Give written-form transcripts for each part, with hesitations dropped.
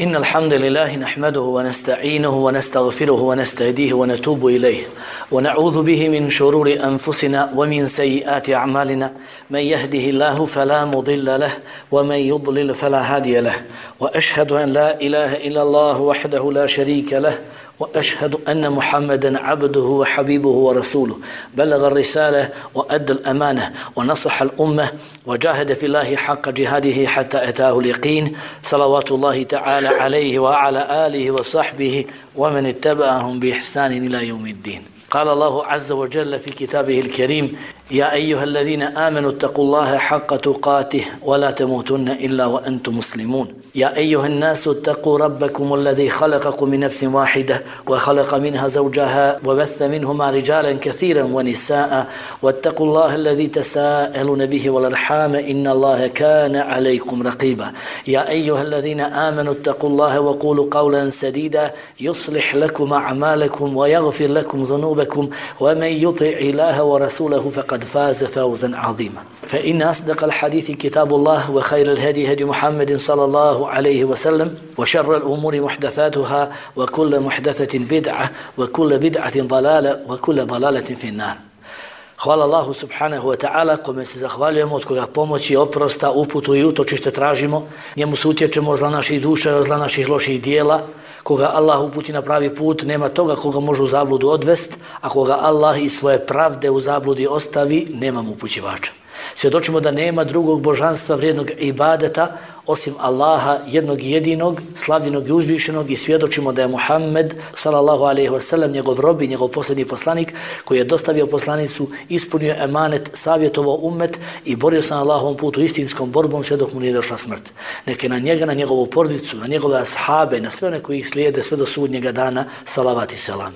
إن الحمد لله نحمده ونستعينه ونستغفره ونستهديه ونتوب إليه ونعوذ به من شرور أنفسنا ومن سيئات أعمالنا من يهده الله فلا مضل له ومن يضلل فلا هادي له وأشهد أن لا إله إلا الله وحده لا شريك له وأشهد أن محمدا عبده وحبيبه ورسوله بلغ الرسالة وأدى الأمانة ونصح الأمة وجاهد في الله حق جهاده حتى أتاه اليقين صلوات الله تعالى عليه وعلى آله وصحبه ومن اتبعهم بإحسان إلى يوم الدين. قال الله عز وجل في كتابه الكريم: يا أيها الذين آمنوا اتقوا الله حق تقاته ولا تموتن إلا وأنتم مسلمون. يا أيها الناس اتقوا ربكم الذي خلقكم من نفس واحدة وخلق منها زوجها وبث منهما رجالا كثيرا ونساء واتقوا الله الذي تساءلون به والأرحام إن الله كان عليكم رقيبا. يا أيها الذين آمنوا اتقوا الله وقولوا قولا سديدا يصلح لكم أعمالكم ويغفر لكم ذنوبكم ومن يطع الله ورسوله فقد فاز فوزا عظيما. فإن أصدق الحديث كتاب الله وخير الهدي هدي محمد صلى الله عليه وسلم وشر الأمور محدثاتها وكل محدثة بدعة وكل بدعة ضلالة وكل ضلالة في النار. Hvala Allahu subhanahu wa ta'ala kome se zahvaljujemo, od koga pomoći, oprosta, uputu i utočište tražimo. Njemu se utječemo od zla naših duša i od zla naših loših dijela. Koga Allah uputi na pravi put, nema toga koga može u zabludu odvest, a koga Allah iz svoje pravde u zabludi ostavi, nema mu upućivača. Svjedočimo da nema drugog božanstva vrijednog ibadeta osim Allaha jednog i jedinog, slavljenog i uzvišenog, i svjedočimo da je Muhammed sallallahu alejhi ve sellem njegov rob i njegov posljednji poslanik koji je dostavio poslanicu, ispunio emanet, savjetovao ummet i borio se na Allahovom putu istinskom borbom sve dok mu nije došla smrt. Neke na njega, na njegovu porodicu, na njegove ashabe, na sve one koji ih slijede sve do sudnjega dana, salavat i selam.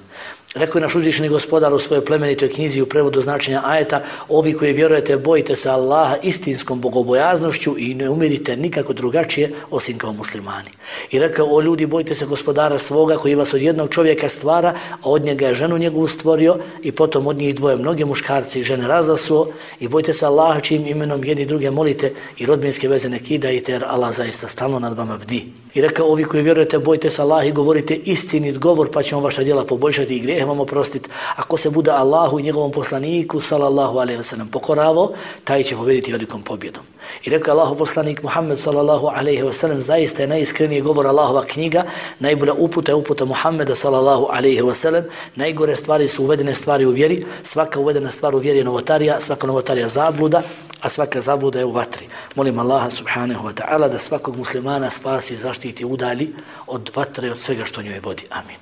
Rekao je naš uzvišeni gospodar u svojoj plemenitoj knjizi u prevodu značenja ajeta: ovi koji vjerujete, bojite se Allaha istinskom bogobojaznošću i ne umirite nikako drugačije osim kao muslimani. I rekao: o ljudi, bojite se gospodara svoga koji vas od jednog čovjeka stvara, a od njega je ženu njegovu stvorio i potom od njih dvoje mnoge muškarci i žene razasuo, i bojte se Allaha čijim imenom jedni druge molite i rodbinske veze ne kidajte, jer Allah zaista stalno nad vama bdi. I rekao: ovi koji vjerujete, bojte se Allaha i govorite istinit govor, pa ćemo vaša djela poboljšati i grijehe vam oprostiti. Ako se bude Allahu i njegovom poslaniku sallallahu alejhi ve sellem pokoravo, taj će pobjediti velikom pobjedom. I rekao Allahov poslanik Muhammed sallallahu alejhi ve sellem: zaista je najiskreniji govor Allahova knjiga, najbolja uputa je uputa Muhammeda sallallahu alejhi ve sellem. Najgore stvari su uvedene stvari u vjeri, svaka uvedena stvar u vjeri je novotarija, svaka novotarija zabluda, a svaka zabluda je u vatri. Molim Allaha subhanahu wa ta'ala da svakog muslimana spasi, zaštiti, udalji od vatre i od svega što njoj vodi. Amin.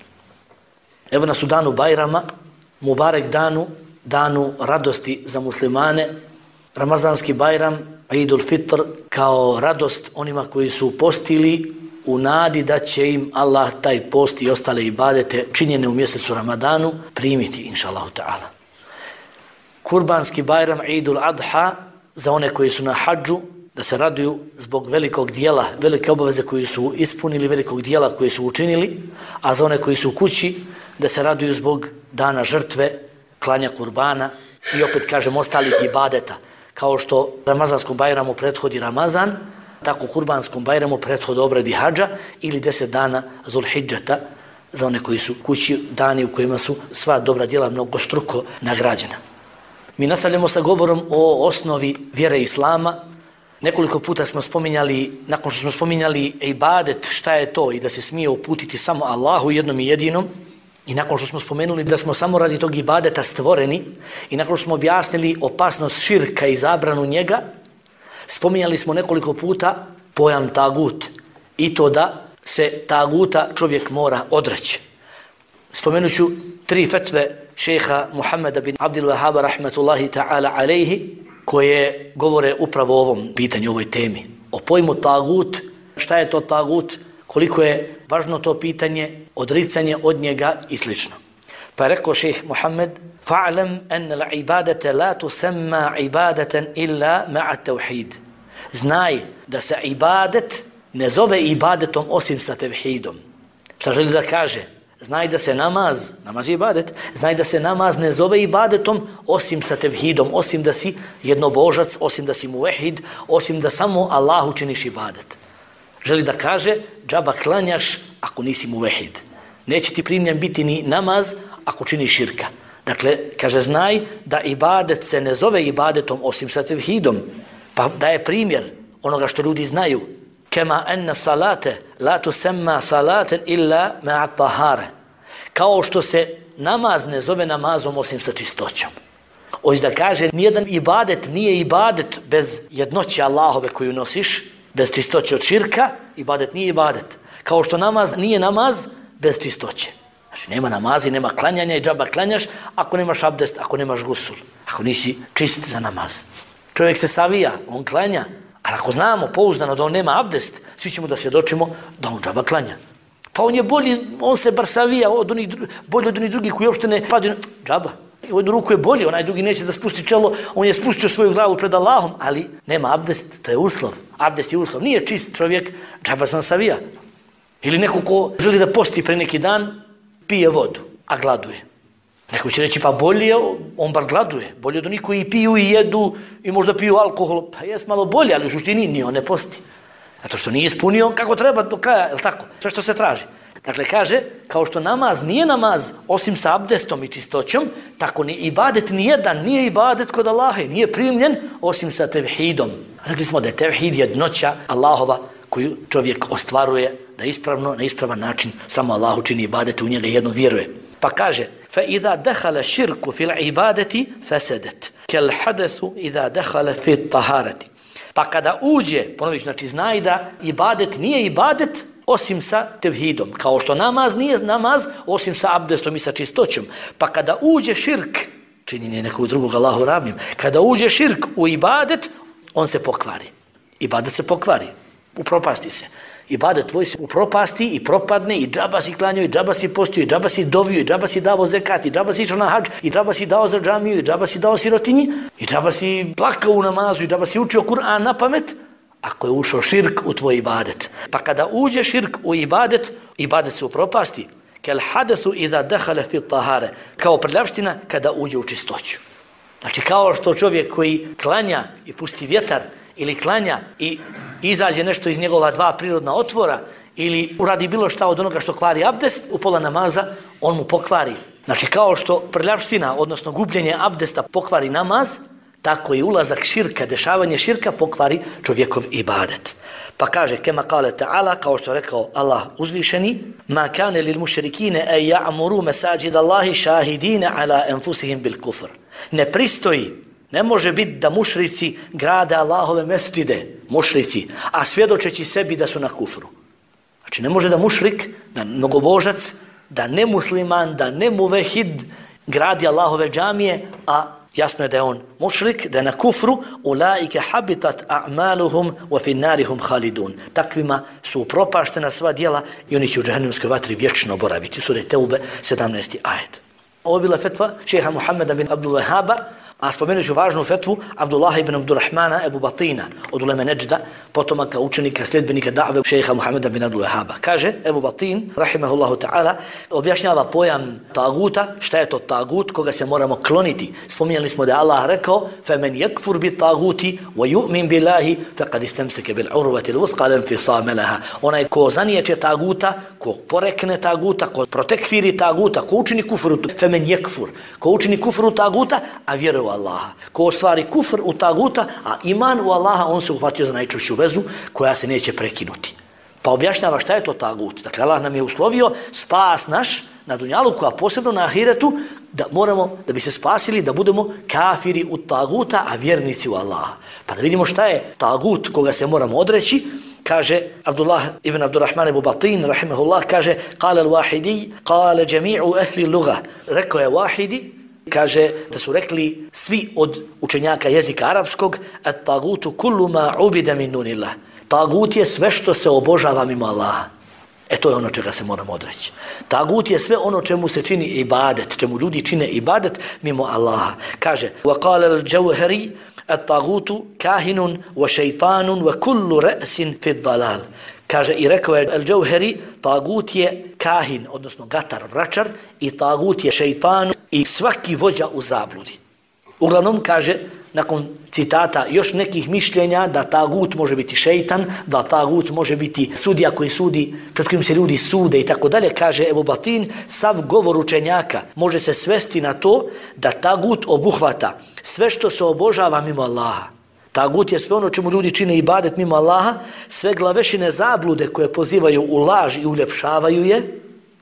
Evo nas u danu Bajrama, Mubarek danu, danu radosti za muslimane, Ramazanski Bajram, Idul Fitr, kao radost onima koji su postili u nadi da će im Allah taj post i ostale ibadete činjene u mjesecu Ramadanu primiti, inša Allahu ta'ala. Kurbanski Bajram, Idul Adha, za one koji su na hadžu, da se raduju zbog velikog dijela, velike obaveze koji su ispunili, velikog dijela koji su učinili, a za one koji su u kući, da se raduju zbog dana žrtve, klanja kurbana i opet kažem ostalih ibadeta. Kao što Ramazanskom Bajramu prethodi Ramazan, tako Kurbanskom Bajramu prethodi obredi hadža ili 10 dana Zulhidžeta za one koji su kući, dani u kojima su sva dobra djela mnogostruko nagrađena. Mi nastavljamo sa govorom o osnovi vjere Islama. Nekoliko puta smo spominjali, nakon što smo spominjali ibadet, šta je to i da se smije uputiti samo Allahu jednom i jedinom, i nakon što smo spomenuli da smo samo radi tog ibadeta stvoreni, i nakon što smo objasnili opasnost širka i zabranu njega, spominjali smo nekoliko puta pojam tagut i to da se taguta čovjek mora odreći. Spomenut ću 3 fetve šeha Muhammeda bin Abdul Wahhaba rahmetullahi ta'ala alejhi, koje govore upravo o ovom pitanju, ovoj temi. O pojmu tagut, šta je to tagut, koliko je važno to pitanje, odricanje od njega i slično. Pa je rekao šejh Muhammed: fa'lam anna al-ibadata la tusamma ibadatan illa ma'a tawhid. Znaj da se ibadet ne zove ibadetom osim sa tevhidom. Šta želi da kaže? Znaj da se namaz je ibadet, znaj da se namaz ne zove ibadetom osim sa tevhidom, osim da si jednobožac, osim da si muvehid, osim da samo Allahu činiš ibadet. Želi da kaže, džaba klanjaš ako nisi muvehid. Neće ti primljen biti ni namaz ako činiš širka. Dakle, kaže, znaj da ibadet se ne zove ibadetom osim sa tevhidom. Pa daje primjer onoga što ljudi znaju. Kema enna salate la tusemma salaten illa ma'a tahare. Kao što se namaz ne zove namazom osim sa čistoćom. Hoće da kaže, nijedan ibadet nije ibadet bez jednoće Allahove koju nosiš, bez čistoće od širka, ibadet nije ibadet. Kao što namaz nije namaz bez čistoće. Znači, nema namazi, nema klanjanja i džaba klanjaš ako nemaš abdest, ako nemaš gusul, ako nisi čist za namaz. Čovjek se savija, on klanja, ali ako znamo pouzdano da on nema abdest, svi ćemo da svjedočimo da on džaba klanja. Pa on je bolji, on se bar savija bolji od onih drugih koji uopšte ne padaju, džaba. U jednu ruku je bolji, onaj drugi neće da spusti čelo, on je spustio svoju glavu pred Allahom, ali nema abdest, to je uslov. Abdest je uslov, nije čist čovjek, džaba sam savija. Ili neko ko želi da posti pre neki dan, pije vodu, a gladuje. Neko će reći, pa bolje, on bar gladuje. Bolje od onih koji piju i jedu i možda piju alkohol. Pa jes malo bolje, ali u suštini ni on ne posti. Zato što nije ispunio kako treba do kraja, je li tako? Sve što se traži. Dakle, kaže, kao što namaz nije namaz osim sa abdestom i čistoćom, tako ni ibadet nijedan nije ibadet kod Allaha, nije primljen osim sa tevhidom. Rekli smo da je tevhid jednoća Allahova koju čovjek ostvaruje da ispravno, na ispravan način samo Allahu čini ibadet, u njega jedno vjeruje. Pa kaže, فَإِذَا دَخَلَ شِرْكُ فِي الْعِبَادَةِ فَسَدَتْ كَالْحَدَثُ إِذَا دَخَلَ فِي الطَّهَارَةِ. Pa kada uđe, ponović, znači znaj da ibadet nije ibadet osim sa tevhidom, kao što namaz nije namaz osim sa abdestom i sa čistoćom. Pa kada uđe širk, činjenje nekog drugog Allahu ravnim, kada uđe širk u ibadet, on se pokvari. Ibadet se pokvari, upropasti se. Ibadet tvoj se upropasti i propadne i džaba si klanjao, i džaba si postio, i džaba si dovio, i džaba si davo zekat, i džaba si išao na hadž, i džaba si dao za džamiju, i džaba si dao sirotinji, i džaba si plakao u namazu, i džaba si učio Kur'an na pamet, ako je ušao širk u tvoj ibadet. Pa kada uđe širk u ibadet, ibadet se upropasti. Kel hadesu iza dehale fi tahare. Kao prljavština kada uđe u čistoću. Znači kao što čovjek koji klanja i pusti vjetar, ili klanja i izađe nešto iz njegova dva prirodna otvora, ili uradi bilo šta od onoga što kvari abdest, u pola namaza on mu pokvari. Znači kao što prljavština, odnosno gubljenje abdesta pokvari namaz, tako i ulazak širka, dešavanje širka pokvari čovjekov ibadet. Pa kaže, kema kale ta'ala, kao što je rekao Allah uzvišeni, ma kane lil mušrikine e ja'muru mesajid Allahi šahidine ala enfusihim bil kufr. Ne pristoji, ne može biti da mušrici grade Allahove mesdžide, mušrici, a svjedočeći sebi da su na kufru. Znači ne može da mušrik, da mnogobožac, da nemusliman, da nemuvehid gradi Allahove džamije, a jasno je da je on mušrik, da je na kufru, ulaike habitat a'maluhum wa fi narihum khalidun. Takvima su upropaštena sva djela i oni će u džahannamskoj vatri vječno boraviti. Sura Teube 17. ajet. Ovo je bila fetva šeha Muhammeda bin Abdul Wahhaba, a spomenut ću važnu fetvu Abdullaha ibn Abdurrahmana Ebu Batina od uleme Neđda, potomaka učenika, sljedbenika da've šeha Muhammeda bin Abdul Wahhaba. Kaže Ebu Batin, rahimahullahu ta'ala, objašnjava pojam taguta, šta je to tagut, koga se moramo kloniti. Spominjali smo da je Allah rekao فَمَنْ يَكْفُرْ بِالْتَاغُوتِ وَيُؤْمِنْ بِاللَّهِ فَقَدْ اسْتَمْسَكَ بِالْعُرْوَةِ الْوُثْقَى لَا انْفِصَامَ لَهَا. Onaj ko zaniječe taguta, ko porekne taguta, ko protekfiri taguta, ko učini kufru, فَمَنْ يَكْفُرْ, ko učini kufru taguta, a vjeruje Allaha. Ko ostvari kufr u taguta, a iman u Allaha, on se uhvatio za najčvršću vezu koja se neće prekinuti. Pa objašnjava šta je to tagut. Dakle, Allah nam je uslovio spas naš na dunjaluku, a posebno na ahiretu, da moramo, da bi se spasili, da budemo kafiri u taguta, a vjernici u Allaha. Pa da vidimo šta je tagut koga se moramo odreći. Kaže Abdullah ibn Abdurrahman Ebu Batin, rahimahullah, kaže kale al-Wahidi, kale džemi'u ehli luga. Rekao je Wahidi, kaže da su rekli svi od učenjaka jezika arapskog, at tagutu kullu ma ubida min dunillah. Tagut je sve što se obožava mimo Allaha. To je ono čega se moramo odreći. Tagut je sve ono čemu se čini ibadet, čemu ljudi čine ibadet mimo Allaha. Kaže, وَقَالَ الْجَوْهَرِي الطَّاغُوتُ كَاهِنٌ وَشَيْطَانٌ وَكُلُّ رَأْسٍ فِي الضَّلَالِ. Kaže i rekao je Al-Jauhari, tagut je kahin, odnosno gatar, vračar, i tagut je šeitan i svaki vođa u zabludi. Uglavnom, kaže nakon citata još nekih mišljenja da tagut može biti šeitan, da tagut može biti sudija koji sudi, pred kojim se ljudi sude i tako dalje, kaže Ebu Batin, sav govor učenjaka može se svesti na to da tagut obuhvata sve što se obožava mimo Allaha. Tagut je sve ono čemu ljudi čine ibadet mimo Allaha, sve glavešine zablude koje pozivaju u laž i uljepšavaju je,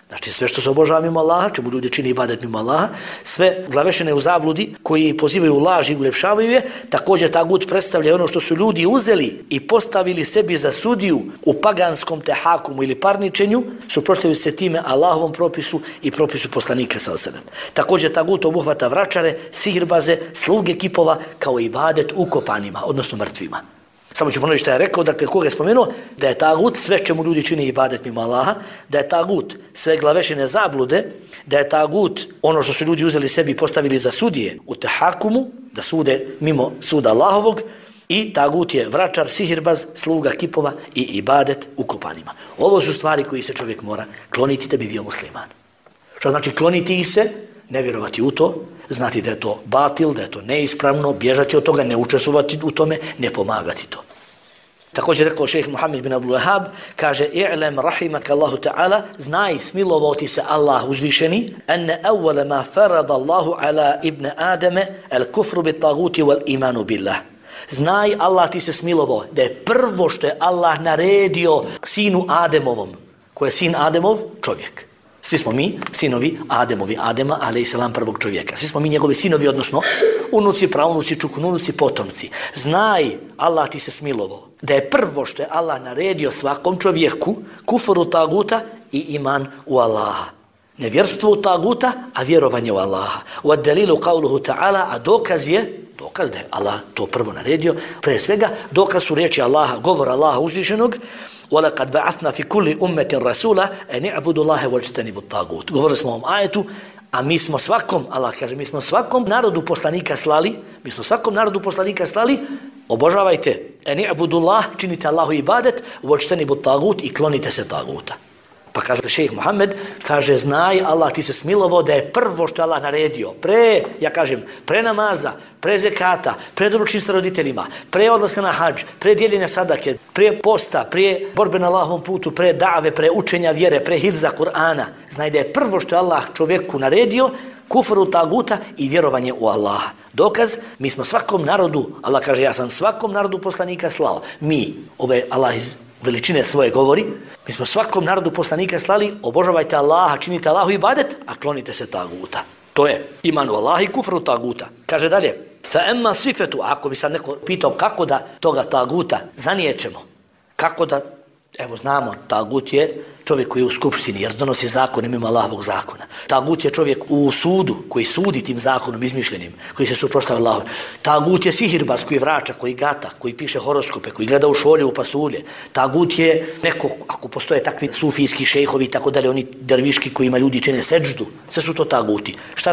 znači sve što se obožava mimo Allaha, čemu ljudi čine ibadet mimo Allaha, sve glavešine u zabludi koji pozivaju u laž i uljepšavaju je, također tagut predstavlja ono što su ljudi uzeli i postavili sebi za sudiju u paganskom tehakumu ili parničenju, suprotstavljaju se time Allahovom propisu i propisu poslanika sallallahu alejhi ve sellem. Također tagut obuhvata vračare, sihirbaze, sluge kipova kao ibadet ukopanima, odnosno mrtvima. Samo ću ponoviti što je rekao, dakle, koga je spomenuo, da je tagut sve čemu ljudi čine ibadet mimo Allaha, da je tagut sve glavešine zablude, da je tagut ono što su ljudi uzeli sebi i postavili za sudije u tehakumu, da sude mimo suda Allahovog, i tagut je vračar, sihirbaz, sluga kipova i ibadet ukopanima. Ovo su stvari koji se čovjek mora kloniti da bi bio musliman. Što znači kloniti ih se? Ne vjerovati u to, znati da je to batil, da je to neispravno, bježati od toga, ne učestvovati u tome, ne pomagati to. Također rekao šejh Muhammed bin Abdul Wahhab, kaže i'lam rahimaka Allahu ta'ala, znaj smilovao ti se Allah uzvišeni, anna awwala ma farada Allahu ala ibn Adama al-kufru bit-taguti wal-imanu billah. Znaj, Allah ti se smilovao da je prvo što je Allah naredio sinu Ademovom, ko je sin Ademov, čovjek. Svi smo mi sinovi Ademovi, Adema, alejselam, prvog čovjeka. Svi smo mi njegovi sinovi, odnosno unuci, praunuci, čukununuci, potomci. Znaj, Allah ti se smilovao da je prvo što je Allah naredio svakom čovjeku kufru taguta i iman u Allaha. Nevjerstvo u taguta, a vjerovanje u Allaha. U ad-dalilu qawluhu ta'ala, a dokaz da je Allah to prvo naredio, pre svega dokaz su riječi Allaha, govor Allaha uzvišenog, وَلَقَدْ بَعَثْنَا فِي كُلِّ أُمَّةٍ رَسُولًا أَنِ اعْبُدُوا اللَّهَ وَاجْتَنِبُوا الطَّاغُوتَ. Govorili smo o ovom ajetu, a mi smo svakom, Allah kaže, mi smo svakom narodu poslanika slali, obožavajte, أَنِ اعْبُدُوا اللَّهَ, činite Allahu ibadet, وَاجْتَنِبُوا الطَّاغُوتَ, i klonite se taguta. Pa kaže šejh Muhammed, kaže, znaj, Allah ti se smilovao da je prvo što Allah naredio, pre namaza, pre zekata, pre dobročinstva roditeljima, pre odlaska na hadž, pre dijeljenja sadake, pre posta, pre borbe na Allahovom putu, pre dave, pre učenja vjere, pre hifza Kur'ana. Znaj da je prvo što je Allah čovjeku naredio, kufru taguta i vjerovanje u Allaha. Dokaz, mi smo svakom narodu, Allah kaže, ja sam svakom narodu poslanika slao. Mi, Allah iz veličine svoje govori, mi smo svakom narodu poslanika slali, obožavajte Allaha, činite Allahu ibadet, a klonite se taguta. To je iman u Allaha i kufru taguta. Kaže dalje, fa emma sifetu, ako bi sad neko pitao kako da toga taguta zaniječemo, kako da, evo znamo, tagut je čovjek koji je u skupštini, jer donosi zakon mimo Allahovog zakona. Tagut je čovjek u sudu, koji sudi tim zakonom izmišljenim, koji se suprotstavlja Allahu. Tagut je sihirbaz koji vrača, koji gata, koji piše horoskope, koji gleda u šolje, u pasulje. Tagut je neko, ako postoje takvi sufijski šejhovi i tako dalje, oni derviški kojima ljudi čine seđdu, sve su to taguti. Šta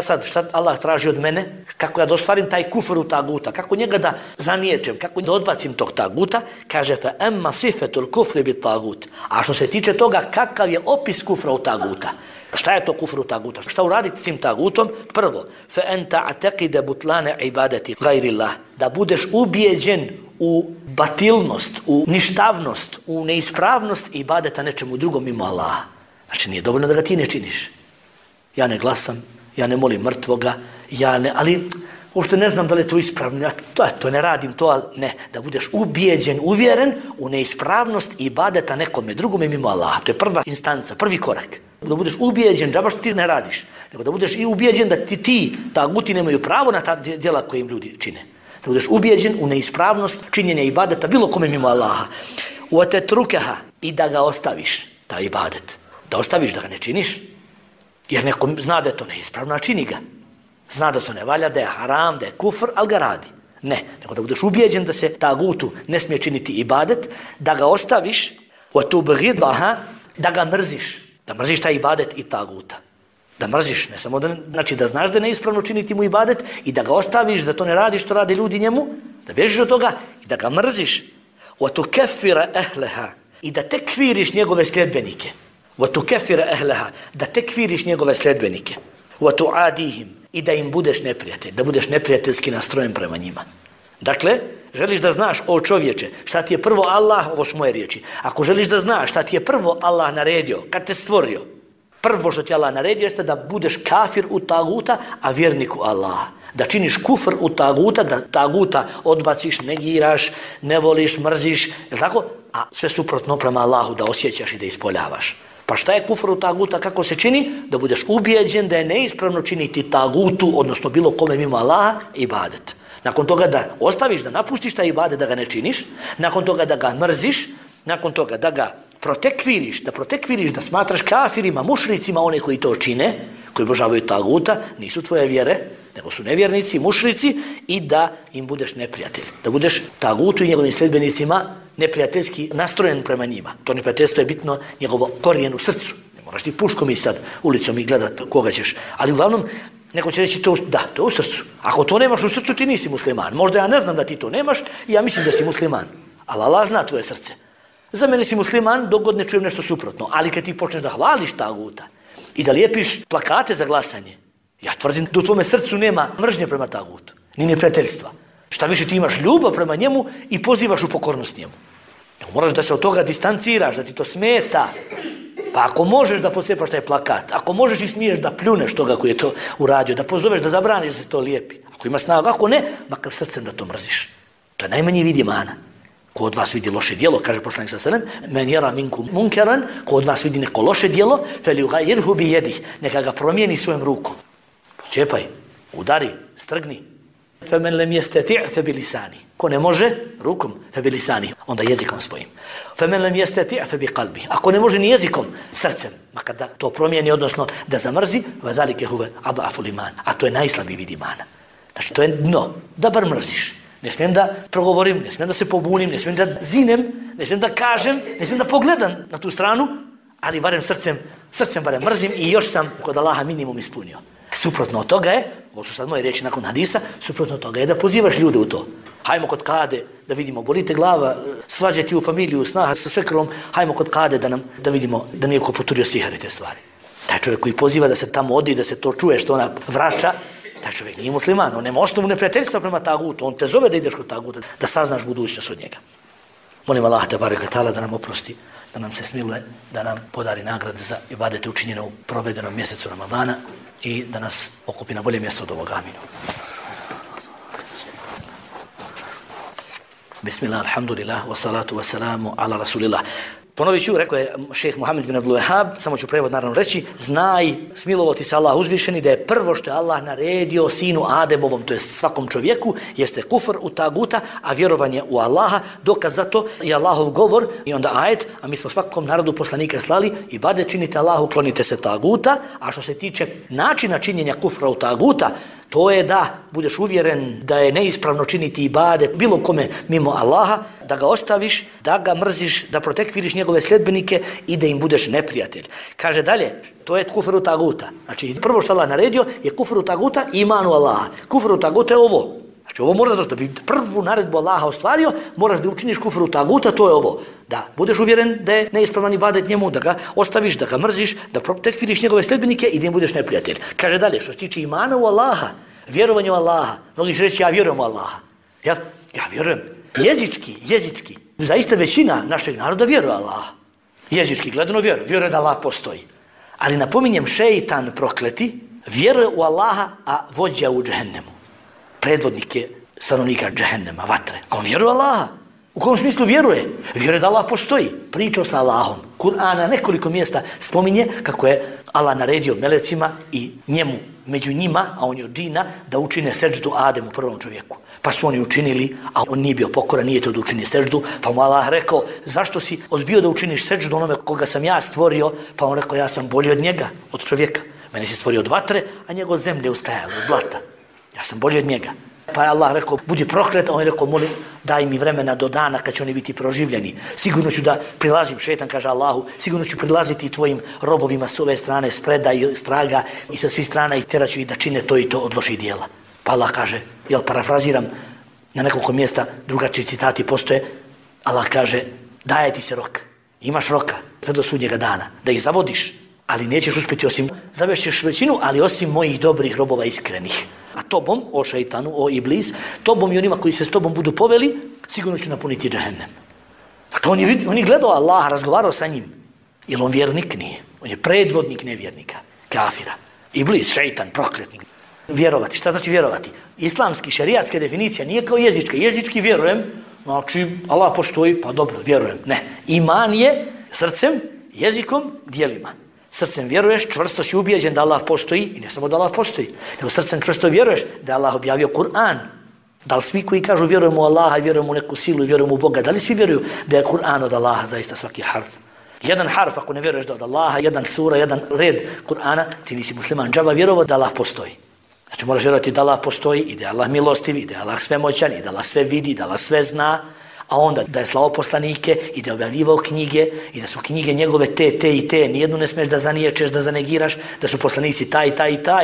Allah traži od mene? Kako ja da ostvarim taj kufr u taguta? Kako njega da zaniječem? Kako da odbacim tog taguta? Kaže, fa emma sifetul kufri bit tagut. A što se tiče toga, kakav je opis kufra u taguta? Šta je to kufru taguta? Šta uraditi s tim tagutom? Prvo, fa enta ateqide butlane ibadeti gajrillah. Da budeš ubijeđen u batilnost, u ništavnost, u neispravnost ibadeta nečemu drugom mimo Allaha. Znači nije dovoljno da ga ti ne činiš. Ja ne glasam, ja ne molim mrtvoga, ali uopšte ne znam da li je to ispravno, ja to ne radim, to, ali ne, da budeš ubijeđen, uvjeren u neispravnost ibadeta nekome drugome mimo Allaha. To je prva instanca, prvi korak. Da budeš ubijeđen, džaba što ti ne radiš, nego da budeš i ubijeđen da ti taguti nemaju pravo na ta djela koje im ljudi čine. Da budeš ubijeđen u neispravnost činjenja ibadeta bilo kome mimo Allaha. Uatetrukeha, i da ga ostaviš, ta ibadet. Da ostaviš da ga ne činiš, jer neko zna da je to neispravno, a čini ga. Zna da to ne valja, da je haram, da je kufr, ali ga radi. Ne, nego da budeš ubijeđen da se tagutu ne smije činiti ibadet, da ga ostaviš, da ga mrziš, da mrziš taj ibadet i taguta. Da mrziš, ne samo da, znači da znaš da je neispravno činiti mu ibadet i da ga ostaviš, da to ne radiš što rade ljudi njemu, da bježiš od toga i da ga mrziš. I da tekfiriš njegove sljedbenike. Da tekfiriš njegove sljedbenike. I da im budeš neprijatelj, da budeš neprijateljski nastrojen prema njima. Dakle, želiš da znaš, o čovječe, šta ti je prvo Allah, ovo su moje riječi, ako želiš da znaš šta ti je prvo Allah naredio, kad te stvorio, prvo što ti Allah naredio jeste da budeš kafir u taguta, a vjernik u Allaha. Da činiš kufr u taguta, da taguta odbaciš, negiraš, ne voliš, mrziš, je tako? A sve suprotno prema Allahu da osjećaš i da ispoljavaš. Pa šta je kufr u taguta, kako se čini? Da budeš ubijeđen da je neispravno činiti tagutu, odnosno bilo kome mimo Allaha, ibadet. Nakon toga da ostaviš, da napustiš taj ibadet, da ga ne činiš, nakon toga da ga mrziš, nakon toga da ga protekviriš, da smatraš kafirima, mušricima, one koji to čine, koji obožavaju taguta, nisu tvoje vjere, nego su nevjernici, mušrici, i da im budeš neprijatelj. Da budeš tagutu i njegovim sljedbenicima neprijateljski nastrojen prema njima. To neprijateljstvo je bitno njegovo korijen u srcu. Ne moraš ti puškom i sad ulicom i gledat koga ćeš. Ali uglavnom, neko će reći to je u srcu. Ako to nemaš u srcu, ti nisi musliman. Možda ja ne znam da ti to nemaš i ja mislim da si musliman. Ali Allah zna tvoje srce. Za mene si musliman dok god ne čujem nešto suprotno. Ali kad ti počneš da hvališ taguta i da lijepiš plakate za glasanje, ja tvrdim da u tvome srcu nema mržnje prema tagutu, ni neprijateljstva. Šta više, ti imaš ljubav prema njemu i pozivaš u pokornost njemu. Moraš da se od toga distanciraš, da ti to smeta. Pa ako možeš da pocepaš taj plakat, ako možeš i smiješ da pljuneš toga koji je to uradio, da pozoveš, da zabraniš da se to lijepi. Ako ima snagu, ako ne, makar srcem da to mrziš. To je najmanji vid imana. Ko od vas vidi loše djelo, kaže poslanik sallallahu alejhi ve sellem, men yara minkum munkaran, ko od vas vidi neko loše djelo, falyughayyirhu bi yadihi, neka ga promijeni svojom rukom. Čepaj, udari, strgni. Femen lem yastati' fa bilisani. Ko ne može rukom, fa bilisani, onda jezikom svojim. Femen lem yastati' fa biqalbi. Ako ne može ni jezikom, srcem, makar da to promijeni, odnosno da zamrzi, va zalike huve adaful iman. A to je najslabiji vid imana. Znači, to je dno, da bar mrziš. Ne smijem da progovorim, ne smijem da se pobunim, ne smijem da zinem, ne smijem da kažem, ne smijem da pogledam na tu stranu, ali barem srcem barem mrzim i još sam kod Allaha minimum ispunio. Suprotno od toga je, ovo su sad moje riječi nakon hadisa, suprotno od toga je da pozivaš ljude u to. Hajmo kod kade da vidimo, bolite glava, svađati u familiju, snaha sa svekrvom, hajmo kod kade da vidimo da nije ko poturio sihare te stvari. Taj čovjek koji poziva da se tamo odi, da se to čuje što ona vraća, taj čovjek nije musliman, on nema osnovu neprijateljstva prema tagutu, on te zove da ideš kod taguta, da saznaš budućnost od njega. Molim Allah te bareka ta'ala da nam oprosti, da nam se smiluje, da nam podari nagrade za ibadete učinjene u provedenom mjesecu Ramadana i da nas okupi na bolje mjesto od ovog. Aminu. Bismillah, alhamdulillah, wassalatu wassalamu ala rasulillah. Ponovit ću, rekao je šejh Muhammed bin Abdul Wahhab, samo ću prevod naravno reći, znaj, smilovati se Allah uzvišeni, da je prvo što je Allah naredio sinu Ademovom, to jest svakom čovjeku, jeste kufr u taguta, a vjerovanje u Allaha. Dokaz za to je Allahov govor i onda ajet, a mi smo svakom narodu poslanika slali, ibadet činite Allahu, klonite se taguta, a što se tiče načina činjenja kufra u taguta, to je da budeš uvjeren da je neispravno činiti ibadet bilo kome mimo Allaha, da ga ostaviš, da ga mrziš, da protekviriš njegove sljedbenike i da im budeš neprijatelj. Kaže dalje, to je kufru taguta. Znači, prvo što Allah naredio je kufru taguta i imanu Allaha. Kufru taguta je ovo. Znači, ovo moraš da bi prvu naredbu Allaha ostvario, moraš da učiniš kufru taguta, to je ovo. Da budeš uvjeren da je neispravan ibadet njemu, da ga ostaviš, da ga mrziš, da protekviriš njegove sljedbenike i da im budeš neprijatelj. Kaže dalje, što se tiče imana u Allaha, vjerovanje u Allaha, mnogi će reći ja vjerujem u Allaha. Ja vjerujem. Jezički. Zaista većina našeg naroda vjeruje u Allaha. Jezički gledano vjeruje da Allah postoji. Ali napominjem, šeitan prokleti vjeruje u Allaha, a vođa u džehennemu. Predvodnik je stanovnika džehennema, vatre. A on vjeruje u Allaha. U kom smislu vjeruje? Vjeruje da Allah postoji. Pričao sa Allahom. Kur'an na nekoliko mjesta spominje kako je Allah naredio melecima i njemu, među njima, a on je od džina, da učine seđdu Ademu, prvom čovjeku. Pa su oni učinili, a on nije bio pokoran, nije to da učini seđdu, pa mu Allah rekao, zašto si odbio da učiniš seđdu onome koga sam ja stvorio? Pa on rekao, ja sam bolji od njega, od čovjeka. Mene si stvorio od vatre, a njegov od zemlje ustajalo, od blata. Ja sam bolji od njega. Pa je Allah rekao, budi proklet, a on je rekao, molim, daj mi vremena do dana kad će oni biti proživljeni. Sigurno ću da prilazim, šetan kaže Allahu, sigurno ću prilaziti tvojim robovima s ove strane, s preda i straga i sa svih strana i teraću ih da čine to i to od loših dijela. Pa Allah kaže, parafraziram, na nekoliko mjesta drugačiji citati postoje, Allah kaže, daje ti se rok, imaš roka, sve do sudnjega dana, da ih zavodiš, ali nećeš uspjeti osim, zavešćeš većinu, ali osim mojih dobrih robova iskrenih. A tobom, o šeitanu, o iblis, tobom i onima koji se s tobom budu poveli, sigurno ću napuniti džehennem. Dakle, on je gledao Allaha, razgovarao sa njim. Jer on vjernik nije. On je predvodnik nevjernika, kafira. Iblis, šeitan, prokletnik. Vjerovati. Šta znači vjerovati? Islamski, šerijatska definicija nije kao jezička. Jezički vjerujem, znači Allah postoji, pa dobro, vjerujem. Ne. Iman je srcem, jezikom, djelima. Srcem vjeruješ, čvrsto si ubijeđen da Allah postoji, i ne samo da Allah postoji, nego srcem čvrsto vjeruješ da je Allah objavio Kur'an. Da li svi koji kažu vjerujemo u Allaha, vjerujemo u neku silu i vjerujemo u Boga, da li svi vjeruju da je Kur'an od Allaha, zaista svaki harf? Jedan harf, ako ne vjeruješ da od Allaha, jedan sura, jedan red Kur'ana, ti nisi musliman. Džaba vjerovao da Allah postoji. Znači moraš vjerovati da Allah postoji i da je Allah milostiv, i da je Allah svemoćan, i da Allah sve vidi, da Allah sve zna, a onda da je slao poslanike i da je objavljivao knjige i da su knjige njegove te i te, nijednu ne smiješ da zaniječeš, da zanegiraš, da su poslanici taj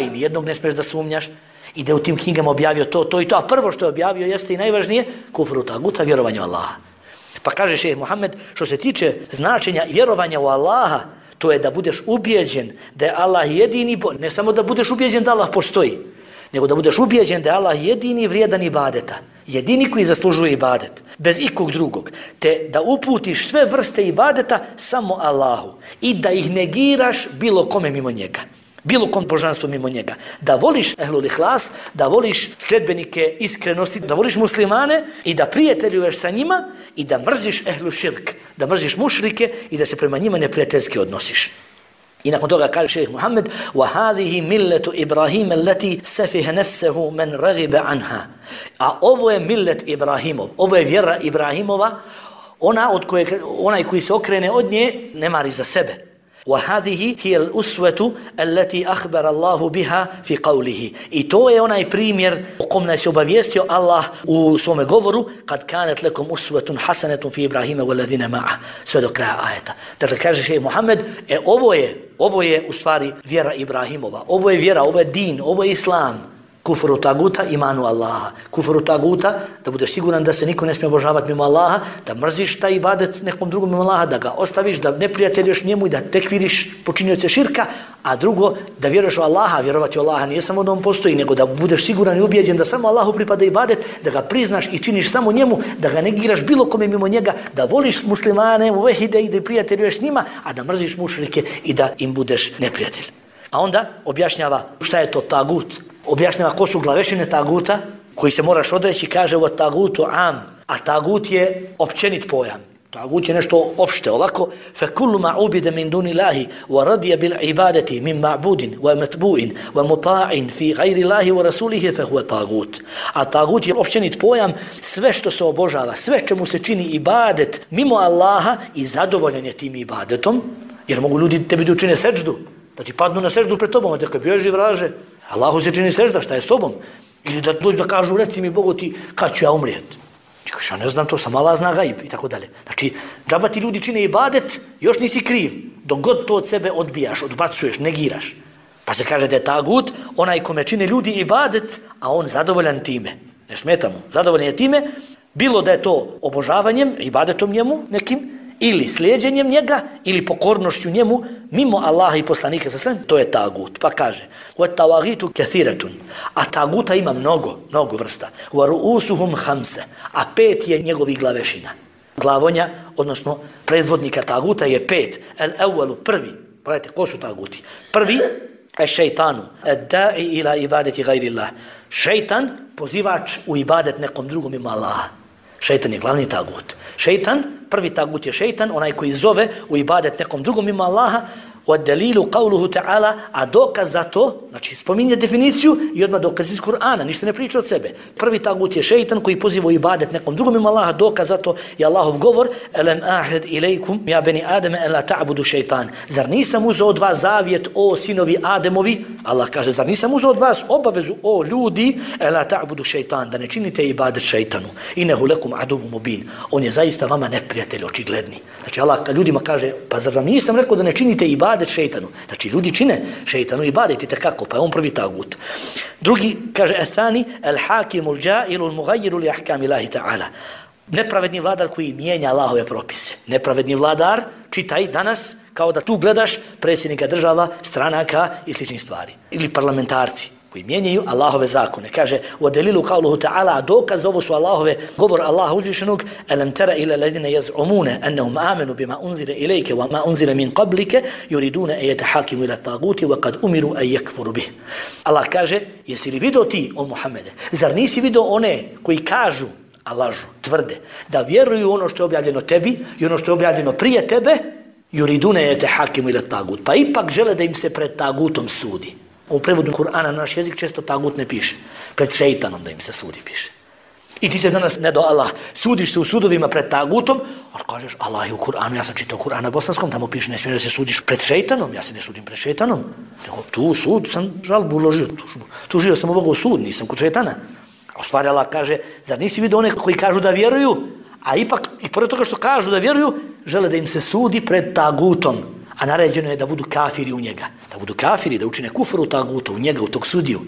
i nijednog ne smiješ da sumnjaš i da je u tim knjigama objavio to i to, a prvo što je objavio jeste i najvažnije, kufru taguta, vjerovanje u Allaha. Pa kaže šejh Muhammed, što se tiče značenja vjerovanja u Allaha, to je da budeš ubijeđen da je Allah jedini, ne samo da budeš ubijeđen da Allah postoji, nego da budeš ubijeđen da je Allah jedini vrijedan ibadeta, jedini koji zaslužuje ibadet, bez ikog drugog, te da uputiš sve vrste ibadeta samo Allahu i da ih negiraš bilo kome mimo njega, bilo kom božanstvu mimo njega, da voliš ehlul ihlas, da voliš sljedbenike iskrenosti, da voliš muslimane i da prijateljuješ sa njima i da mrziš ehlu širk, da mrziš mušrike i da se prema njima neprijateljski odnosiš. I nakon toga kaže šejh Muhammed: وَهَذِهِ مِلَّةُ إِبْرَاهِيمَ الَّتِي سَفِهَ نَفْسَهُ مَنْ رَغِبَ عَنْهَا. A ovo je millet Ibrahimov, ovo je vjera Ibrahimova, onaj koji se okrene od nje ne mari za sebe. وَهَذِهِ هِيَ الْأُسْوَةُ الَّتِي أَخْبَرَ اللَّهُ بِهَا فِي قَوْلِهِ. I to je onaj primjer o kom nas je obavijestio Allah u svome govoru: kad kanet lekom usvetun hasanetun fi Ibrahima walladhina ma'a, sve do kraja ajeta. Dakle, kaže šejh Muhammed, ovo je u stvari vjera Ibrahimova, ovo je vjera, ovo je din, ovo je islam. Kufru taguta, imanu Allaha. Kufru taguta, da budeš siguran da se niko ne smije obožavati mimo Allaha, da mrziš taj ibadet nekom drugom mimo Allaha, da ga ostaviš, da ne prijateljuješ njemu i da tekviriš počinioce širka, a drugo, da vjeruješ u Allaha. Vjerovati u Allaha nije samo da on postoji, nego da budeš siguran i ubijeđen da samo Allahu pripada ibadet, da ga priznaš i činiš samo njemu, da ga negiraš bilo kome mimo njega, da voliš muslimane, uvehide i da prijateljuješ s njima, a da mrziš mušrike i da im budeš neprijatelj. A onda objašnjava šta je to tagut. Objašnjava ko su glavešine taguta koji se moraš odreći, kaže o tagutu am, a tagut je općenit pojam. Tagut je nešto opšte, ovako فَكُلُّ مَا عُبِدَ مِنْ دُونِ اللَّهِ وَرَضِيَ بِالْعِبَادَةِ مِنْ مَعْبُودٍ وَمَتْبُوءٍ وَمُطَاعٍ فِي غَيْرِ اللَّهِ وَرَسُولِهِ فَهُوَ tagut. A tagut je općenit pojam, sve što se obožava, sve čemu se čini ibadet mimo Allaha i zadovoljan je tim ibadetom, jer mogu ljudi tebi da učine seđdu, da ti padnu na seždu pred tobom, a te kad bježi vraže, Allahu se čini sežda, šta je s tobom? Ili da dođu da kažu, reci mi Bogu ti, kad ću ja umrijeti? Ti kažeš, ja ne znam to, sam Allah zna gaib i tako dalje. Znači, džaba ti ljudi čine ibadet, još nisi kriv, dok god to od sebe odbijaš, odbacuješ, negiraš. Pa se kaže da je tagut onaj kome čine ljudi ibadet, a on zadovoljan time. Ne smeta mu, zadovoljan je time, bilo da je to obožavanjem, ibadetom njemu nekim, ili slijedjenjem njega, ili pokornošću njemu, mimo Allaha i poslanika sa sve, to je tagut. Pa kaže, وَتَّوَغِيتُ كَثِيرَةٌ. A taguta ima mnogo vrsta. وَرُؤُسُهُمْ خَمْسَ. A 5 je njegovih glavešina. Glavonja, odnosno predvodnika taguta je 5. El-evvalu, prvi. Pogledajte, ko su taguti? Prvi, šeitanu, da'i ila ibadeti gajrillah. Šeitan, pozivač u ibadet nekom drugom ima Allaha. Šeitan je glavni tagut. Šeitan, prvi tagut je šeitan, onaj koji zove u ibadet nekom drugom ima Allaha. وَالدَّلِيلُ قَوْلُهُ تَعَالَى. A dokaz za to, znači spominje definiciju i odmah dokaz iz Kur'ana, ništa ne priča od sebe. Prvi tagut je šeitan koji poziva u ibadet nekom drugom ima Allaha, dokaz za to je Allahov govor: أَلَمْ أَحِدْ إِلَيْكُمْ يَا بَنِي آدَمَ أَلَا تَعْبُدُ šeitan. Zar nisam uzeo od vas zavjet, o sinovi Ademovi? Allah kaže, zar nisam uzeo od vas obavezu, o ljudi, أَلَا تَعْبُدُ šeitan, da ne činite ibadet šeitanu. إِنَهُ لَكُمْ عَدُوٌ مُبِينٌ. On je zaista vama neprijatelj očigledni. Znači Allah ljudima kaže, pa zar vam nisam rekao da ne činite ibadet šeitanu? Znači ljudi čine šeitanu ibadet i tako, pa je on prvi tagut. Drugi, kaže Ethani, el hakimu l'đailu l'mugajjiru li ahkami Allahi ta'ala. Nepravedni vladar koji mijenja Allahove propise. Nepravedni vladar, čitaj danas, kao da tu gledaš predsjednika država, stranaka i sličnih stvari. Ili parlamentarci koji mijenjaju Allahove zakone. Kaže, u delilu qawluhu ta'ala, dokaz ovo su Allahove, govor Allaha uzvišenog, alam tara ila ladina yaz'umuna annahum amanu bima unzila ilayka wa ma unzila min qablika yuriduna an yatahakimu ila at-taguti wa qad umiru an yakfuru bih. Allah kaže, jesi li vidio ti, o Muhammede, zar nisi vidio one koji kažu, a lažu, tvrde, da vjeruju ono što je objavljeno tebi i ono što je objavljeno prije tebe, yuriduna an yatahakimu ila at-tagut, pa ipak žele da im se pred tagutom sudi. U prevodu Kur'ana na naš jezik često tagut ne piše. Pred šeitanom da im se sudi piše. I ti se danas, ne do Allah, sudiš se u sudovima pred tagutom, ali kažeš, Allah je u Kur'anu, ja sam čitao Kur'an na bosanskom, tamo piše, ne smiješ da se sudiš pred šeitanom, ja se ne sudim pred šeitanom. Nego tu sud sam žalbu uložio, tužio sam ovoga u sud, nisam kod šeitana. A u stvari Allah kaže, zar nisi vidio one koji kažu da vjeruju, a ipak, i pored toga što kažu da vjeruju, žele da im se sudi pred tagutom. A naređeno je da budu kafiri u njega. Da budu kafiri, da učine kufr u taguta, u njega, u tog sudiju.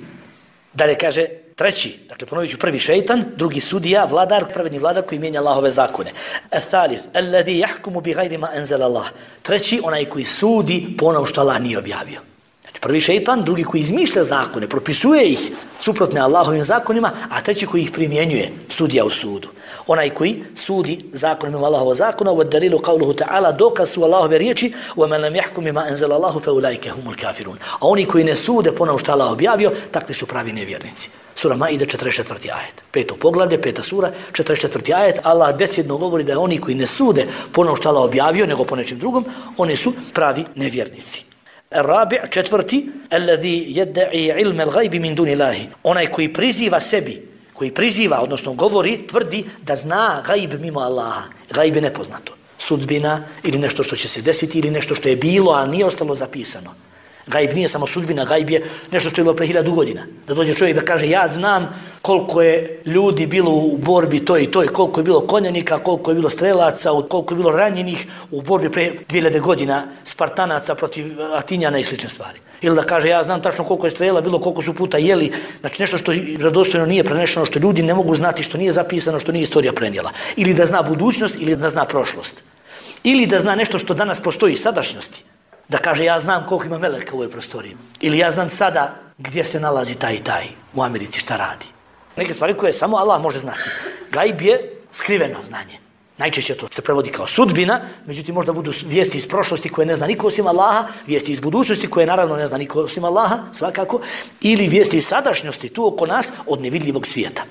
Dalje kaže treći, dakle ponovit ću, prvi šeitan, drugi sudija, vladar, pravedni vladar koji mijenja Allahove zakone. Al-thalith, alladhi yahkumu bi ghayri ma anzala Allah. Treći, onaj koji sudi po onom što Allah nije objavio. Znači prvi šeitan, drugi koji izmišlja zakone, propisuje ih suprotne Allahovim zakonima, a treći koji ih primjenjuje, sudija u sudu. Onaj koji sudi zakonima Allahova zakona, u dalilu qawluhu ta'ala, dokaz su Allahove riječi, وَمَنْ لَمْ يَحْكُمِ مَا أَنزَلَ اللَّهُ فَأُولَٰئِكَ هُمُ الْكَافِرُونَ. A oni koji ne sude po onom što Allah objavio, takvi su pravi nevjernici. Sura Maide, 44. ajet. 5. poglavlje, 5. sura, 44. ajet. Allah decidno govori da oni koji ne sude po onom što Allah objavio, nego po nečim drugom, oni su pravi nevjernici. Rabi', 4. alladhi yadda'i ilma al-ghaybi min duni Allahi. Onaj koji priziva sebi, koji priziva, odnosno govori, tvrdi da zna gajb mimo Allaha. Gajb je nepoznato. Sudbina ili nešto što će se desiti ili nešto što je bilo, a nije ostalo zapisano. Gajb nije samo sudbina, gajb je nešto što je bilo pre 1000 godina. Da dođe čovjek da kaže, ja znam koliko je ljudi bilo u borbi toj i toj, koliko je bilo konjanika, koliko je bilo strelaca, koliko je bilo ranjenih u borbi pre 2000 godina, Spartanaca protiv Atinjana i slične stvari. Ili da kaže, ja znam tačno koliko je strela bilo, koliko su puta jeli, znači nešto što vjerodostojno nije prenešeno, što ljudi ne mogu znati, što nije zapisano, što nije istorija prenijela. Ili da zna budućnost, ili da zna prošlost. Ili da zna nešto što danas postoji, sadašnjosti. Da kaže, ja znam koliko ima meleka u ovoj prostoriji. Ili ja znam sada gdje se nalazi taj i taj u Americi, šta radi. Neke stvari koje samo Allah može znati. Gajb je skriveno znanje. Najčešće to se prevodi kao sudbina, međutim možda budu vijesti iz prošlosti koje ne zna niko osim Allaha, vijesti iz budućnosti koje naravno ne zna niko osim Allaha, svakako, ili vijesti iz sadašnjosti tu oko nas od nevidljivog svijeta.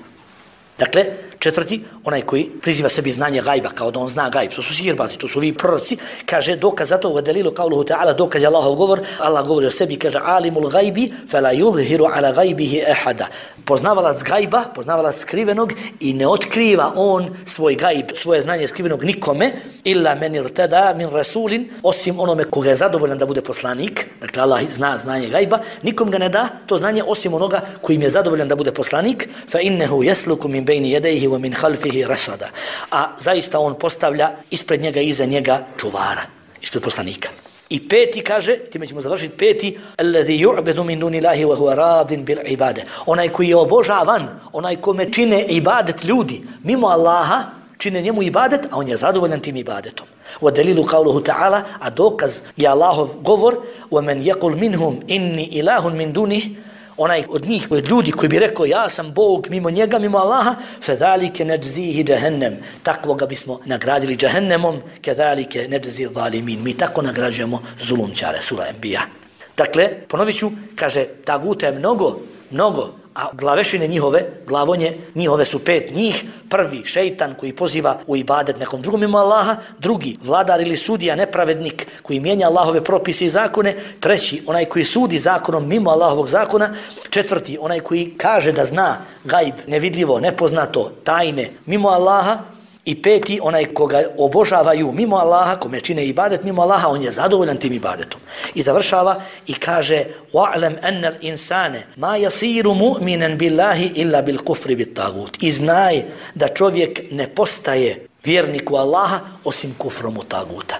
Dakle, 4. onaj koji priziva sebi znanje gajba, kao da on zna gajb, to su sihirbazi, to su ovi proroci, kaže dokaz za to u delilu qawluhu ta'ala, dokaz je Allahov govor, Allah govori o sebi, kaže alimul gajbi, fela yuzhiru ala gajbihi ahada. Poznavalac gajba, poznavalac skrivenog i ne otkriva on svoj gajb, svoje znanje skrivenog nikome, illa men irtada min rasulin, osim onome koga je zadovoljan da bude poslanik, dakle Allah zna znanje gajba, nikom ga ne da to znanje osim onoga kojim je zadovoljan da bude poslanik, fa innehu yasluku min bejni jedejhi wa min khalfihi rasada. A zaista on postavlja ispred njega i iza njega čuvara, ispred poslanika. I 5. kaže, time ćemo završiti 5. alladhi yu'badu min dunillahi wa huwa radin bil ibade. Onaj koji je obožavan, onaj kome čine ibadet ljudi, mimo Allaha, čine njemu ibadet, a on je zadovoljan tim ibadetom. Wa dalilu qawluhu ta'ala, a dokaz je Allahov govor, wa man yaqul minhum inni ilahun min dunih, onaj od njih, od ljudi koji bi rekao ja sam Bog mimo njega, mimo Allaha, fezalike najzihi jahannam, takvoga bismo nagradili jahannamom, kezalike najzi zalimin, mi tako nagrađujemo zulumčare, sura Enbiya. Dakle, ponovit ću, kaže, taguta je mnogo, a glavešine njihove, glavonje njihove su 5 njih. Prvi, šeitan koji poziva u ibadet nekom drugom mimo Allaha. Drugi, vladar ili sudija, nepravednik koji mijenja Allahove propise i zakone. Treći, onaj koji sudi zakonom mimo Allahovog zakona. Četvrti, onaj koji kaže da zna gajb, nevidljivo, nepoznato, tajne mimo Allaha. I 5. onaj koga obožavaju mimo Allaha, kome čine ibadet mimo Allaha, on je zadovoljan tim ibadetom. I završava i kaže wa'lam anna al-insana ma yasiru mu'minan billahi illa bil kufri bit tagut. I znaj da čovjek ne postaje vjerniku Allaha osim kufrom u taguta.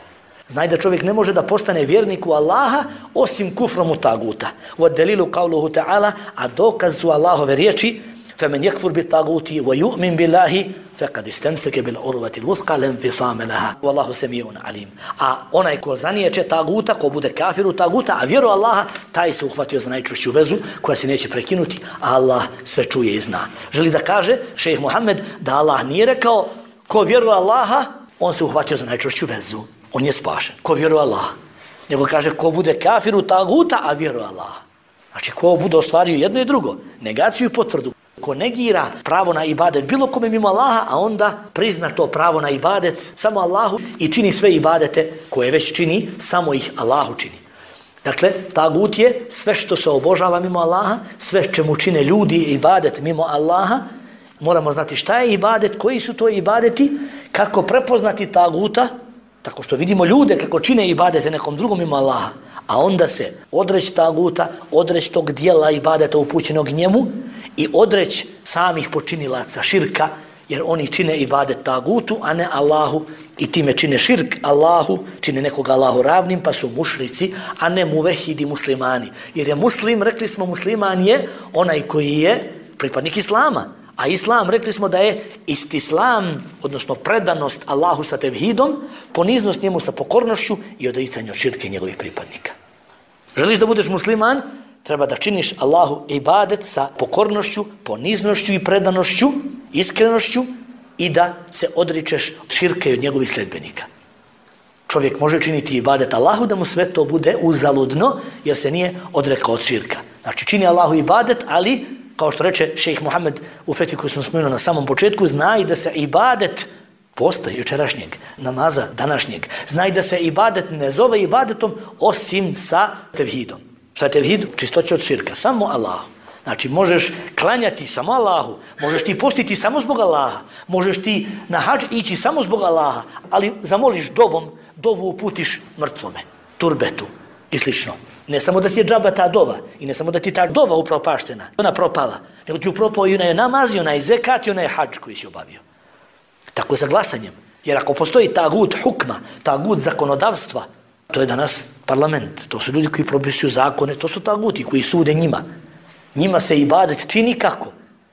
Znaj da čovjek ne može da postane vjerniku Allaha osim kufrom u taguta. Wa dalilu qawluhu ta'ala, a dokaz su Allahove riječi فَمَنْ يَكْفُرْ بِالطَّاغُوتِ وَيُؤْمِنْ بِاللَّهِ فَقَدْ اسْتَمْسَكَ بِالْعُرْوَةِ الْوُثْقَى لَا انْفِصَامَ لَهَا وَاللَّهُ سَمِيعٌ عَلِيمٌ. A onaj ko zaniječe taguta, ko bude kafir u taguta, a vjeruje Allaha, taj se uhvatio za najčvršću vezu koja se neće prekinuti, a Allah sve čuje i zna. Želi da kaže šejh Muhammed da Allah nije rekao ko vjeruje Allaha, on se uhvatio za najčvršću vezu, on je spašen. Ko vjeruje Allaha. Nego kaže ko bude kafir u taguta, a vjeruje Allaha. Znači ko bude ostvario jedno i drugo, negaciju i potvrdu. Ko negira pravo na ibadet bilo kome mimo Allaha, a onda prizna to pravo na ibadet samo Allahu i čini sve ibadete koje već čini, samo ih Allahu čini. Dakle, tagut je sve što se obožava mimo Allaha, sve čemu čine ljudi ibadet mimo Allaha. Moramo znati šta je ibadet, koji su to ibadeti, kako prepoznati taguta, tako što vidimo ljude kako čine ibadete nekom drugom mimo Allaha, a onda se odreći taguta, odreći tog dijela ibadeta upućenog njemu i odreći samih počinilaca širka, jer oni čine ibadet tagutu, a ne Allahu, i time čine širk Allahu, čine nekoga Allahu ravnim, pa su mušrici, a ne muvehidi muslimani. Jer je muslim, rekli smo, musliman je onaj koji je pripadnik Islama. A Islam, rekli smo da je istislam, odnosno predanost Allahu sa tevhidom, poniznost njemu sa pokornošću i odricanje od širke njegovih pripadnika. Želiš da budeš musliman, treba da činiš Allahu ibadet sa pokornošću, poniznošću i predanošću, iskrenošću i da se odričeš od širke i od njegovih sledbenika. Čovjek može činiti ibadet Allahu da mu sve to bude uzaludno jer se nije odrekao od širka. Znači čini Allahu ibadet, ali kao što reče šejh Muhammed u fetvi koju sam spomenuo na samom početku, znaj da se ibadet posta jučerašnjeg namaza današnjeg, znaj da se ibadet ne zove ibadetom osim sa tevhidom. Sa tevhidom, čistoće od širka, samo Allahu. Znači možeš klanjati samo Allahu, možeš ti postiti samo zbog Allaha, možeš ti na hadž ići samo zbog Allaha, ali zamoliš dovu uputiš mrtvome, turbetu i slično. Ne samo da ti je džaba ta dova i ne samo da ti ta dova upropaštena, ona propala, nego ti upropao i onaj namaz i onaj zekat i onaj hadž koji si obavio. Tako je sa glasanjem. Jer ako postoji tagut hukma, tagut zakonodavstva, to je danas parlament, to su ljudi koji propisuju zakone, to su taguti koji sude njima. Njima se ibadet čini kako?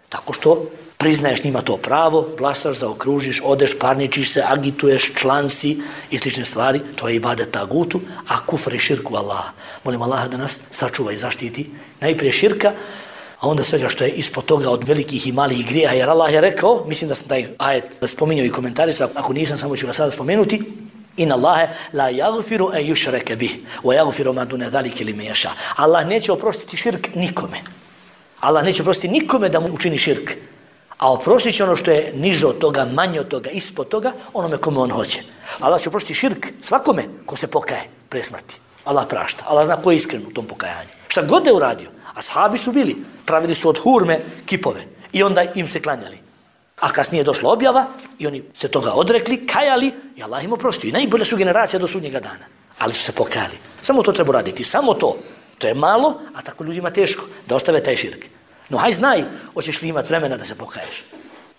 Tako što priznaješ njima to pravo, glasaš, zaokružiš, odeš, parničiš se, agituješ, član si i slične stvari, to je ibadet tagutu, a kufr i širku Allaha. Molim Allaha da nas sačuva i zaštiti najprije širka, a onda svega što je ispod toga od velikih i malih grijeha, jer Allah je rekao, mislim da sam taj ajet spominjao i komentarisao, ako nisam, samo ću ga sada spomenuti, Inna Allahe la yaghfiru an yushraka bih wa yaghfiru ma duna zalika liman yasha. Allah neće oprostiti širk nikome. Allah neće oprostiti nikome da mu učini širk. A oprostit će ono što je niže od toga, manje od toga, ispod toga, onome kome on hoće. Allah će oprostiti širk svakome ko se pokaje pre smrti. Allah prašta. Allah zna ko je iskren u tom pokajanju. Šta god je uradio. Ashabi su bili, pravili su od hurme kipove i onda im se klanjali. A kasnije došla objava i oni se toga odrekli, kajali i Allah im oprostio. I najbolja su generacija do sudnjega dana. Ali su se pokajali. Samo to treba raditi. Samo to. To je malo, a tako ljudima teško da ostave taj širk. No haj znaj, hoćeš li imati vremena da se pokaješ.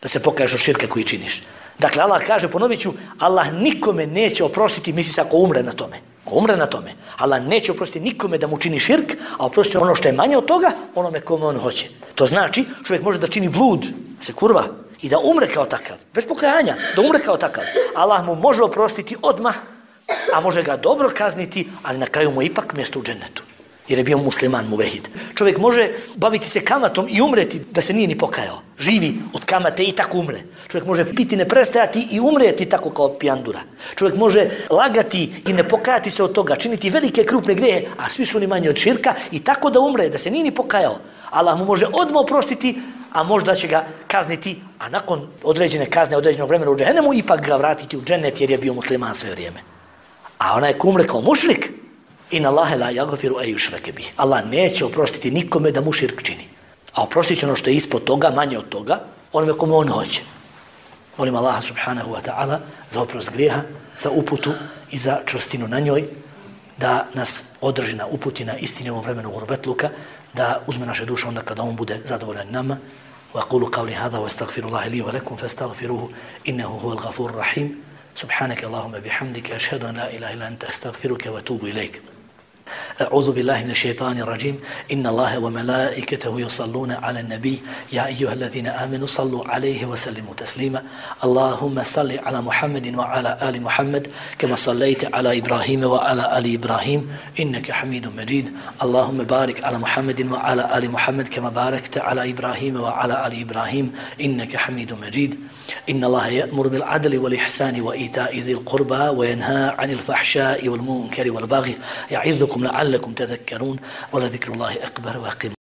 Da se pokaješ od širka koji činiš. Dakle, Allah kaže, ponovit ću, Allah nikome neće oprostiti, misli se ako umre na tome. Ko umre na tome. Allah neće oprostiti nikome da mu čini širk, a oprostiti ono što je manje od toga, onome kome on hoće. To znači, čovjek može da čini blud, se kurva, i da umre kao takav, bez pokajanja, da umre kao takav. Allah mu može oprostiti odmah, a može ga dobro kazniti, ali na kraju mu ipak mjesto u džennetu. Jer je bio musliman muvehid. Čovjek može baviti se kamatom i umreti da se nije ni pokajao. Živi od kamate i tako umre. Čovjek može piti, ne prestajati i umreti tako kao pijandura. Čovjek može lagati i ne pokajati se od toga, činiti velike krupne grehe, a svi su oni manje od širka i tako da umre, da se nije ni pokajao. Allah mu može odmah oprostiti, a možda će ga kazniti, a nakon određene kazne, određenog vremena u džehennemu, ipak ga vratiti u džennet jer je bio musliman sve vrijeme. A onaj ko umre kao mušrik, Inna Allahe la yaghfiru an yushraka bih. Allah neće oprostiti nikome da mu širk čini. A oprostit će ono što je ispod toga, manje od toga, onome kome on hoće. Molim Allaha subhanahu wa ta'ala za oprost grijeha, za uputu i za čvrstinu na njoj, da nas održi na uputi na istini u ovom vremenu gurbetluka, da uzme naše duše onda kada on bude zadovoljan nama. Wa aqulu qawli hadha wa astaghfirullaha li wa lakum fastaghfiruhu innahu huwal ghafurur rahim. Subhanaka Allahumma bihamdika ashhadu an la ilaha illa anta astaghfiruka wa atubu ilayk. أعوذ بالله من الشيطان الرجيم إن الله وملائكته يصلون على النبي يا أيها الذين آمنوا صلوا عليه وسلموا تسليما اللهم صل على محمد وعلى آل محمد كما صليت على إبراهيم وعلى آل إبراهيم إنك حميد مجيد اللهم بارك على محمد وعلى آل محمد كما باركت على إبراهيم وعلى آل إبراهيم إنك حميد مجيد إن الله يأمر بالعدل والإحسان وإيتاء ذي القربى وينهى عن الفحشاء والمنكر والبغي يعظكم لعلكم تذكرون ولذكر الله أكبر وأقيموا